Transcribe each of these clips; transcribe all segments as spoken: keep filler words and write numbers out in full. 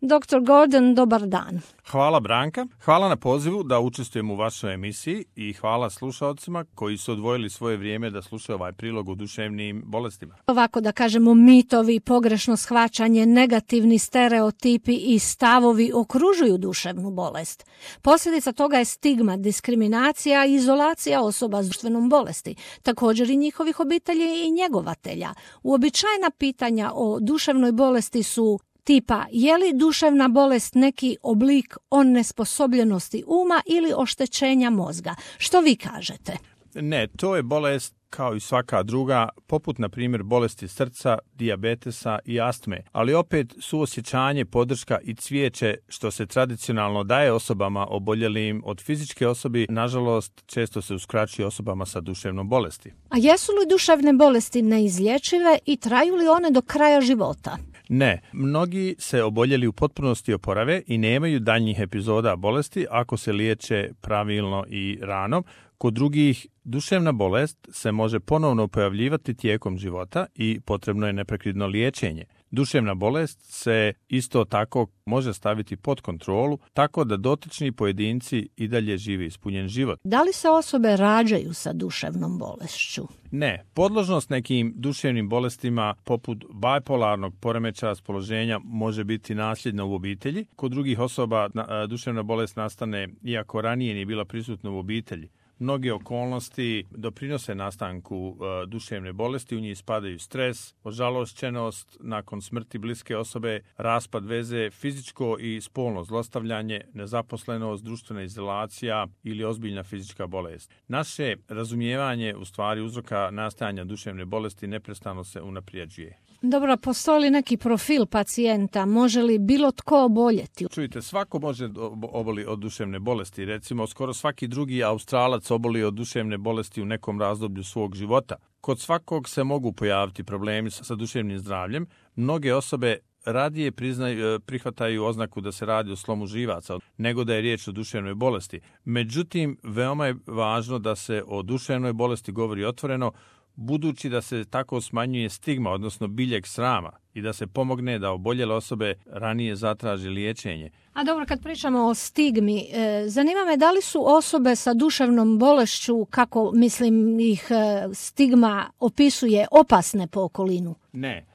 doktor Gordon, dobar dan. Hvala Branka, hvala na pozivu da učestvujem u vašoj emisiji i hvala slušalcima koji su odvojili svoje vrijeme da slušaju ovaj prilog o duševnim bolestima. Ovako da kažemo, mitovi, pogrešno shvaćanje, negativni stereotipi i stavovi okružuju duševnu bolest. Posljedica toga je stigma, diskriminacija i izolacija osoba s duševnom bolesti, također i njihovih obitelji i njegovatelja. Uobičajena pitanja o duševnoj bolesti su tipa je li duševna bolest neki oblik onesposobljenosti uma ili oštećenja mozga. Što vi kažete? Ne, to je bolest kao i svaka druga, poput na primjer bolesti srca, dijabetesa i astme, ali opet suosjećanje, podrška i cvijeće što se tradicionalno daje osobama oboljelim od fizičke osobe, nažalost često se uskraćuje osobama sa duševnom bolesti. A jesu li duševne bolesti neizlječive i traju li one do kraja života? Ne, mnogi se oboljeli u potpunosti oporave i nemaju daljnjih epizoda bolesti ako se liječe pravilno i rano. Kod drugih duševna bolest se može ponovno pojavljivati tijekom života i potrebno je neprekidno liječenje. Duševna bolest se isto tako može staviti pod kontrolu tako da dotični pojedinci i dalje žive ispunjen život. Da li se osobe rađaju sa duševnom bolešću? Ne, podložnost nekim duševnim bolestima poput bipolarnog poremećaja raspoloženja može biti nasljedna u obitelji. Kod drugih osoba duševna bolest nastane iako ranije nije bila prisutna u obitelji. Mnoge okolnosti doprinose nastanku uh, duševne bolesti, u njih spadaju stres, ožalošćenost nakon smrti bliske osobe, raspad veze, fizičko i spolno zlostavljanje, nezaposlenost, društvena izolacija ili ozbiljna fizička bolest. Naše razumijevanje u stvari uzroka nastajanja duševne bolesti neprestano se unaprijeđuje. Dobro, postoji li neki profil pacijenta? Može li bilo tko oboljeti? Čujte, svako može oboli od duševne bolesti. Recimo, skoro svaki drugi Australac oboli od duševne bolesti u nekom razdoblju svog života. Kod svakog se mogu pojaviti problemi sa duševnim zdravljem. Mnoge osobe radije priznaju, prihvataju oznaku da se radi o slomu živaca, nego da je riječ o duševnoj bolesti. Međutim, veoma je važno da se o duševnoj bolesti govori otvoreno, budući da se tako smanjuje stigma, odnosno biljeg srama, i da se pomogne da oboljele osobe ranije zatraže liječenje. A dobro, kad pričamo o stigmi, e, zanima me da li su osobe sa duševnom bolešću, kako mislim ih e, stigma opisuje, opasne po okolinu? Ne.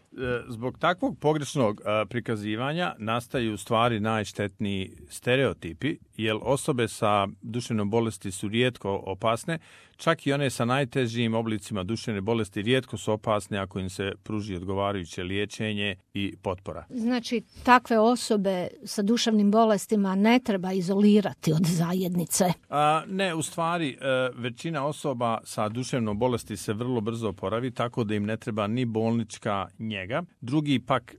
Zbog takvog pogrešnog prikazivanja nastaju u stvari najštetniji stereotipi, jer osobe sa duševnom bolesti su rijetko opasne, čak i one sa najtežim oblicima duševne bolesti rijetko su opasne ako im se pruži odgovarajuće liječenje i potpora. Znači, takve osobe sa duševnim bolestima ne treba izolirati od zajednice? A, ne, u stvari većina osoba sa duševnom bolesti se vrlo brzo oporavi, tako da im ne treba ni bolnička njega. Drugi pak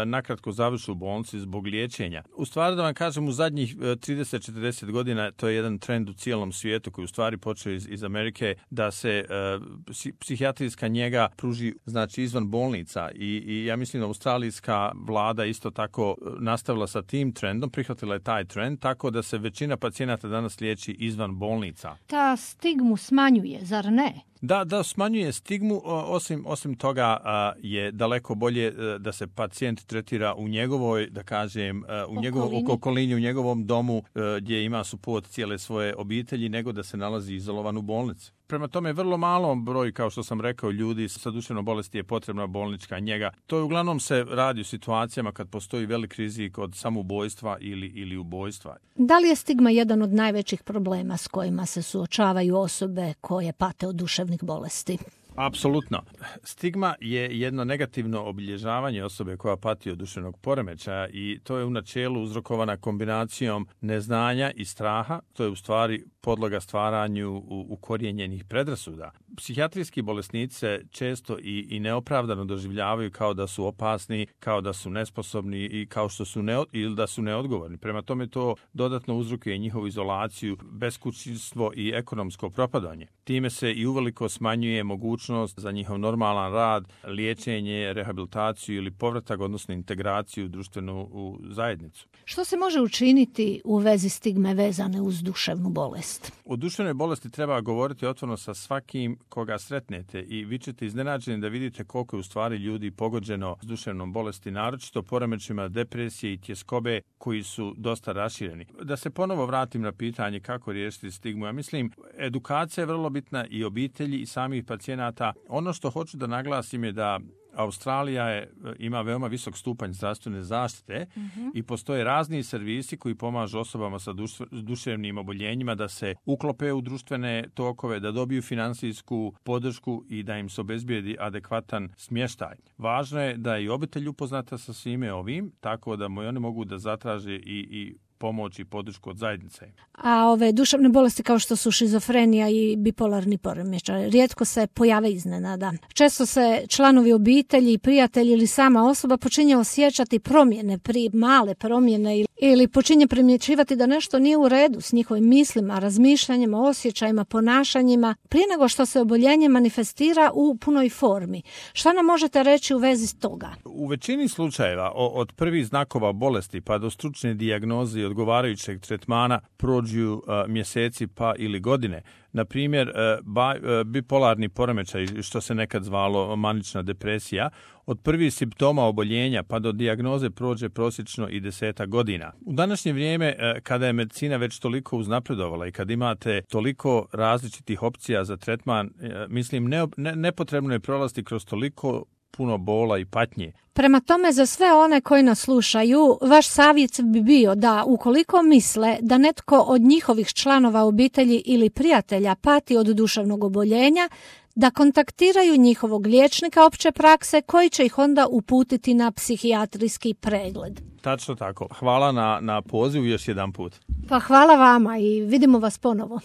nakratko završu u bolnici zbog liječenja. U stvari da vam kažem, u zadnjih trideset do četrdeset godina to je jedan trend u cijelom svijetu koji u stvari počeo iz, iz Amerike, da se uh, psihijatrijska njega pruži znači izvan bolnica i, i ja mislim da australijska vlada isto tako nastavila sa tim trendom, prihvatila je taj trend, tako da se većina pacijenata danas liječi izvan bolnica. Ta stigmu smanjuje, zar ne? Da, da smanjuje stigmu, osim, osim toga je daleko bolje da se pacijent tretira u njegovoj, da kažem, u njegovom okolini, u njegovom domu gdje ima suport cijele svoje obitelji, nego da se nalazi izolovan u bolnici. Prema tome, vrlo malom broj, kao što sam rekao, ljudi sa duševnom bolesti je potrebna bolnička njega. To je uglavnom se radi u situacijama kad postoji velik rizik od samoubojstva ili, ili ubojstva. Da li je stigma jedan od najvećih problema s kojima se suočavaju osobe koje pate od duševnih bolesti? Apsolutno. Stigma je jedno negativno obilježavanje osobe koja pati od duševnog poremećaja i to je u načelu uzrokovana kombinacijom neznanja i straha. To je u stvari podloga stvaranju ukorijenjenih predrasuda. Psihijatrijski bolesnici se često i, i neopravdano doživljavaju kao da su opasni, kao da su nesposobni i kao što su ne, ili da su neodgovorni. Prema tome to dodatno uzrokuje njihovu izolaciju, beskućništvo i ekonomsko propadanje. Time se i uveliko smanjuje mogućnost za njihov normalan rad, liječenje, rehabilitaciju ili povratak, odnosno integraciju u društvenu u zajednicu. Što se može učiniti u vezi stigme vezane uz duševnu bolest? bolest? O duševnoj bolesti treba govoriti otvoreno sa svakim koga sretnete i vi ćete iznenađeni da vidite koliko je u stvari ljudi pogođeno s duševnom bolesti, naročito poremećajima depresije i tjeskobe koji su dosta rašireni. Da se ponovo vratim na pitanje kako riješiti stigmu, ja mislim edukacija je vrlo bitna i obitelji i samih pacijenata. Ono što hoću da naglasim je da Australija je, ima veoma visok stupanj zdravstvene zaštite mm-hmm. i postoje razni servisi koji pomažu osobama sa duš, duševnim oboljenjima da se uklope u društvene tokove, da dobiju finansijsku podršku i da im se obezbijedi adekvatan smještaj. Važno je da je i obitelj upoznata sa svime ovim, tako da oni mogu da zatraže i, i pomoć i podršku od zajednice. A ove duševne bolesti kao što su šizofrenija i bipolarni poremećaj rijetko se pojave iznenada. Često se članovi obitelji, prijatelji ili sama osoba počinje osjećati promjene, pri male promjene ili počinje primjećivati da nešto nije u redu s njihovim mislima, razmišljanjima, osjećajima, ponašanjima prije nego što se oboljenje manifestira u punoj formi. Šta nam možete reći u vezi s toga? U većini slučajeva od prvih znakova bolesti pa do stručne dijagnoze i odgovarajućeg tretmana prođu uh, mjeseci pa ili godine. Na primjer, uh, ba, uh, bipolarni poremećaj, što se nekad zvalo manična depresija, od prvih simptoma oboljenja pa do dijagnoze prođe prosječno i deseta godina. U današnje vrijeme, uh, kada je medicina već toliko uznapredovala i kad imate toliko različitih opcija za tretman, uh, mislim, ne, ne, nepotrebno je prolaziti kroz toliko puno bola i patnje. Prema tome, za sve one koji nas slušaju, vaš savjet bi bio da ukoliko misle da netko od njihovih članova obitelji ili prijatelja pati od duševnog oboljenja, da kontaktiraju njihovog liječnika opće prakse koji će ih onda uputiti na psihijatrijski pregled. Tačno tako. Hvala na, na pozivu još jedan put. Pa hvala vama i vidimo vas ponovo.